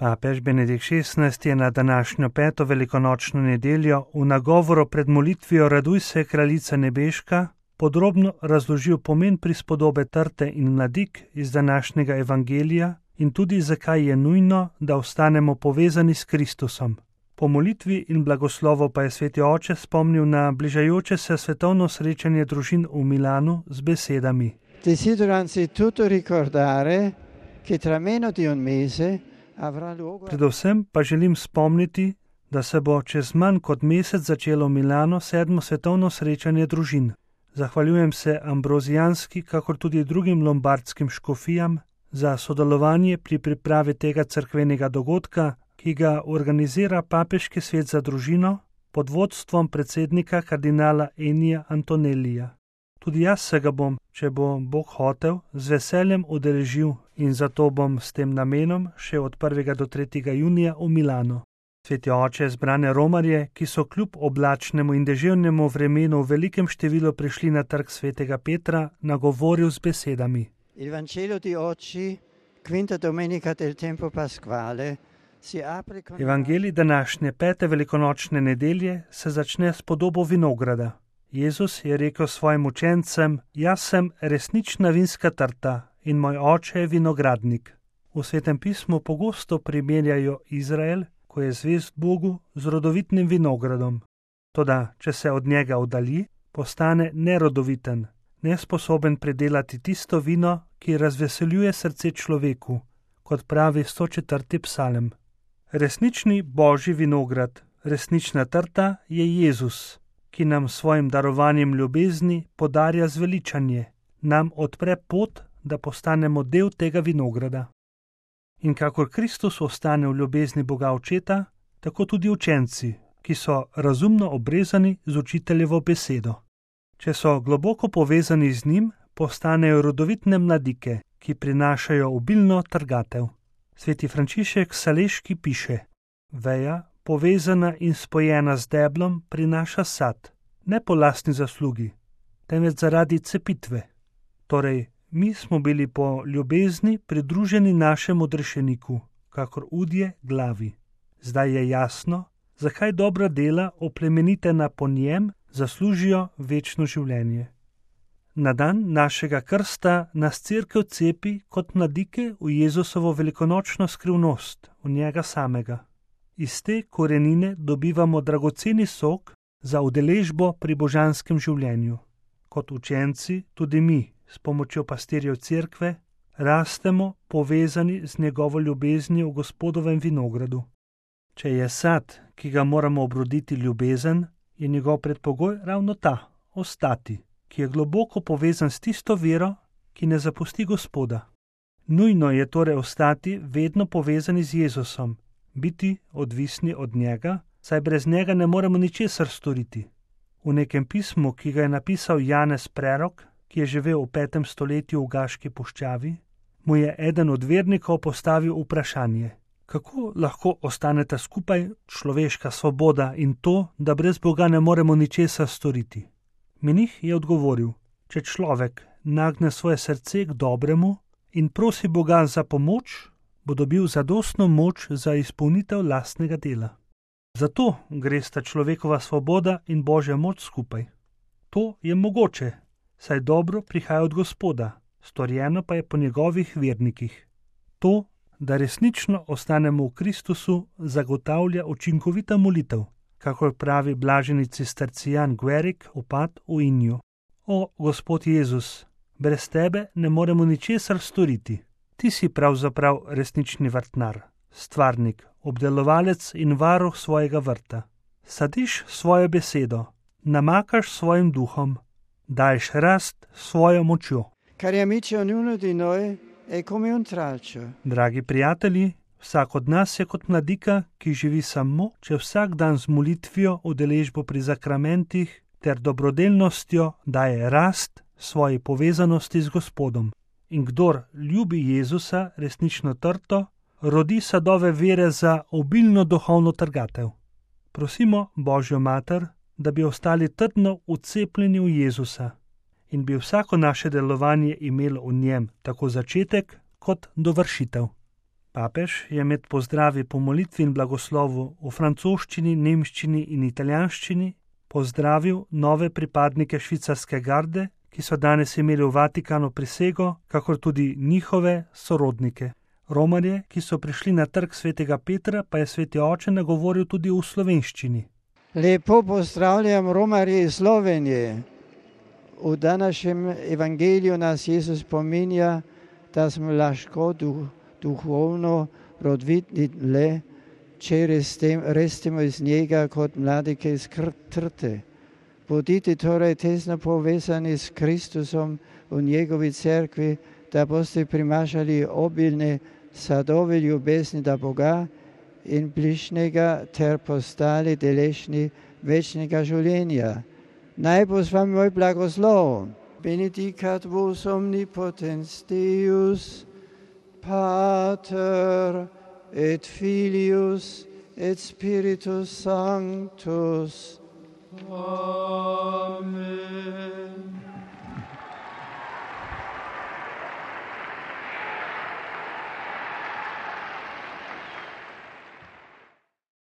Papež Benedikt XVI je na današnjo 5. velikonočno nedeljo v nagovoru pred molitvijo Raduj se, kraljica nebeška, podrobno razložil pomen prispodobe trte in mladik iz današnjega evangelija in tudi zakaj je nujno, da ostanemo povezani s Kristusom. Po molitvi in blagoslovu pa je sveti oče spomnil na bližajoče se svetovno srečanje družin v Milanu z besedami: Desidero anzitutto ricordare che tra meno di un mese avrà luogo. Predvsem pa želim spomniti, da se bo čez manj kot mesec začelo v Milanu 7. svetovno srečanje družin. Zahvaljujem se ambrozijanski, kakor tudi drugim lombardskim škofijam za sodelovanje pri pripravi tega cerkvenega dogodka, ki ga organizira Papeški svet za družino pod vodstvom predsednika kardinala Ennija Antonellija. Tudi jaz se ga bom, če bo Bog hotel, z veseljem udeležil in zato bom s tem namenom še od 1. do 3. junija v Milano. Sveti oče zbrane romarje, ki so kljub oblačnemu in deževnemu vremenu v velikem številu prišli na trg svetega Petra, nagovoril z besedami: Il Vangelo di oggi, quinta domenica del tempo pasquale, si apre con Evangelij današnje 5. velikonočne nedelje se začne s podobo vinograda. Jezus je rekel svojim učencem: Jaz sem resnična vinska trta in moj oče je vinogradnik. V Svetem pismu pogosto primerjajo Izrael, ko je zvest Bogu, z rodovitnim vinogradom. Toda, če se od njega oddalji, postane nerodoviten, nesposoben predelati tisto vino, ki razveseljuje srce človeku, kot pravi 104. psalem. Resnični božji vinograd, resnična trta je Jezus, ki nam svojim darovanjem ljubezni podarja zveličanje, nam odpre pot, da postanemo del tega vinograda. In kakor Kristus ostane v ljubezni Boga Očeta, tako tudi učenci, ki so razumno obrezani z učiteljevo besedo. Če so globoko povezani z njim, postanejo rodovitne mladike, ki prinašajo obilno trgatev. Sveti Frančišek Saleški piše: Veja, povezana in spojena z deblom, prinaša sad, ne po lastni zaslugi, temveč zaradi cepitve. Torej, mi smo bili po ljubezni pridruženi našemu odrešeniku, kakor udje glavi. Zdaj je jasno, zakaj dobra dela, oplemenitena po njem, zaslužijo večno življenje. Na dan našega krsta nas Cerkev cepi kot mladike v Jezusovo velikonočno skrivnost, v njega samega. Iz te korenine dobivamo dragoceni sok za udeležbo pri božanskem življenju. Kot učenci, tudi mi, s pomočjo pastirjev Cerkve, rastemo povezani z njegovo ljubeznijo v Gospodovem vinogradu. Če je sad, ki ga moramo obroditi, ljubezen, je njegov predpogoj ravno ta, ostati, ki je globoko povezan s tisto vero, ki ne zapusti Gospoda. Nujno je torej ostati vedno povezani z Jezusom, biti odvisni od njega, saj brez njega ne moremo ničesar storiti. V nekem pismu, ki ga je napisal Janez Prerok, ki je živel v 5. stoletju v Gaški puščavi, mu je eden od vernikov postavil vprašanje: kako lahko ostaneta skupaj človeška svoboda in to, da brez Boga ne moremo ničesar storiti? Menih je odgovoril: če človek nagne svoje srce k dobremu in prosi Boga za pomoč, bo dobil zadostno moč za izpolnitev lastnega dela. Zato gresta človekova svoboda in Božja moč skupaj. To je mogoče, saj dobro prihaja od Gospoda, storjeno pa je po njegovih vernikih. To, da resnično ostanemo v Kristusu, zagotavlja učinkovita molitev, kakor pravi blaženi cistercijan Guerik, opat v Inju. O, Gospod Jezus, brez tebe ne moremo ničesar storiti. Ti si pravzaprav resnični vrtnar, stvarnik, obdelovalec in varuh svojega vrta. Sadiš svojo besedo, namakaš svojim duhom, daješ rast svojo močjo. Cari amici, ognuno di noi è come un tralcio. Dragi prijatelji, vsak od nas je kot mladika, ki živi samo, če vsak dan z molitvijo, udeležbo pri zakramentih ter dobrodelnostjo daje rast svoji povezanosti z Gospodom. In kdor ljubi Jezusa, resnično trto, rodi sadove vere za obilno duhovno trgatev. Prosimo Božjo mater, da bi ostali trdno vcepljeni v Jezusa in bi vsako naše delovanje imelo v njem tako začetek kot dovršitev. Papež je med pozdravi po molitvi in blagoslovu v francoščini, nemščini in italijanščini pozdravil nove pripadnike švicarske garde, ki so danes imeli v Vatikanu prisego, kakor tudi njihove sorodnike. Romarje, ki so prišli na trg svetega Petra, pa je sveti oče nagovoril tudi v slovenščini. Lepo pozdravljam Romarje iz Slovenije. V današnjem evangeliju nas Jezus spominja, da smo lahko duhovno rodvitni le, če rastemo iz njega kot mladike iz trte. Bodite torej tesno povezani s Kristusom v njegovi cerkvi, da boste primašali obilne sadove ljubezni do Boga in bližnjega ter postali deležni večnega življenja. Naj bo z vami moj blagoslov. Benedicat vos omnipotens Deus, Pater et Filius et Spiritus Sanctus. Amen.